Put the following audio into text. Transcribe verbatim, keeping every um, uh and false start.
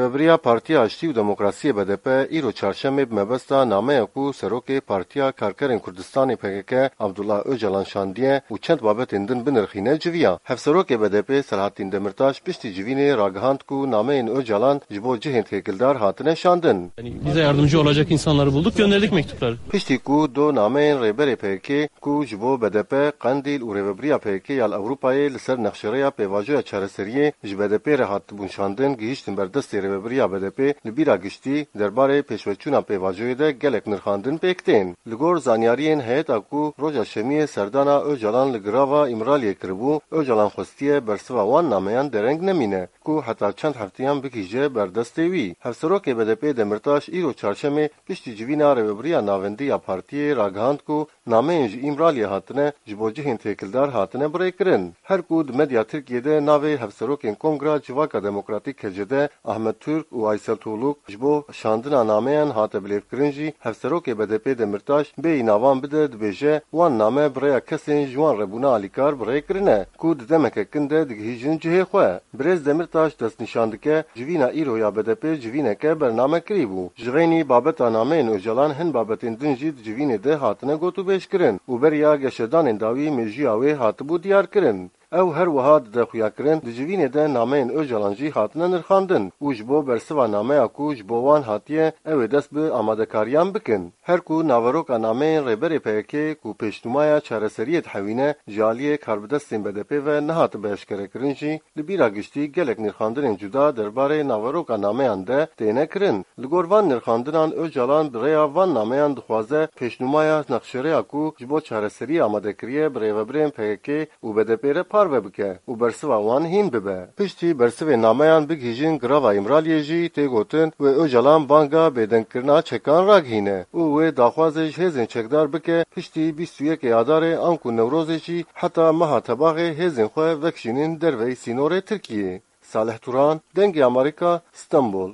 Rêvebiriya Partiya Aştî û Demokrasiyê B D P îro çarşemê bi mebesta nameya ku serokê Partiya Karkerên Kurdistanê P K K Abdullah Ocalan şandiye û çend babetên din binirxîne civiya. Hevserokê B D P Selahattin Demirtaş piştî civînê ragihand ku nameyên Ocalan ji bo cihên têkildar hatine şandin. Yani bize yardımcı olacak insanları bulduk, gönderdik mektupları. Piştî ku do nameyên rêberê P K K ku ji bo B D P, Qendîl û rêvebiriya P K K ya li Ewropayê li ser nexşereya pêvajoya çareseriyê ji B D P re hatibûn şandin, gihîştin ber destê rêvebiriya B D P, li bîra giştî derbarê pêşveçûna pêvajoyê de gelek nirxandin pêk tên. Li gor zanyariyên heyeta ku roja şemiyê serdana Ocalan li girava Îmraliyê kiribû, Ocalan xwestiye bersiva wan nameyan dereng nemîne, ku heta çend hefteyan bigihîje ber destê wî. Hevserokê B D P Demirtaş îro çarşemê piştî civîna rêvebiriya navendî ya partiyê ragihand ku nameyên ji Îmraliyê hatine ji bo cihên têkildar hatine birêkirin. Her ku di medya Tirkiyê de navê hevserokên Kongra Civaka Demokratîk K C D Ahmet Türk û Aysel Tuğluk ji bo şandina nameyan hate bilêvkirin jî, hevserokê B D P Demirtaş bêyî navan bide, dibêje, wan name bi rêya kesên ji wan re bûne alîkar birêkirine, ku di demeke kin de digihîjin cihê xwe. Birêz Demirtaş destnîşan dike, civîna îro ya B D P civîneke bernamekirî bû. Ji xeynî babeta nameyên Ocalan hin babetên din jî di civînê de hatine gotûbêjkirin û beriya geşedanên dawî mêjûya wê hatibû diyarkirin. Ew her wiha dide xuyakirin, di civînê de nameyên Ocalan jî hatine nirxandin û ji bo bersiva nameya ku ji bo wan hatiye, ew ê dest bi amadekariyan bikin. Her ku naveroka nameyên rêberê P K K ku pêşnûmaya çareseriyê dihewîne, ji aliyê karbidestên B D P ve nehatibe eşkerekirin jî, li bîra giştî gelek nirxandinên cuda derbarê naveroka nameyan de têne kirin. Li gor van nirxandinan Ocalan bi rêya van nameyan dixwaze pêşnûmaya nexşereya ku ji bo çareseriyê amade kiriye bi rêvebirên P K K û B D P re parve bike û bersiva wan hîn bibe. Piştî bersivê nameyan bigihîjin girava Îmraliyê jî tê gotin wê Ocalan banga bêdengkirina çekan ragihîne û wê daxwazê ji hêzên çekdar bike piştî bîst û yekê Adarê anku Newrozê jî heta meha Tebaxê hêzên xwe vekişînin derveyî sînorê Tirkiyê. Salih Turan, Dengê Amerîka, Stenbol.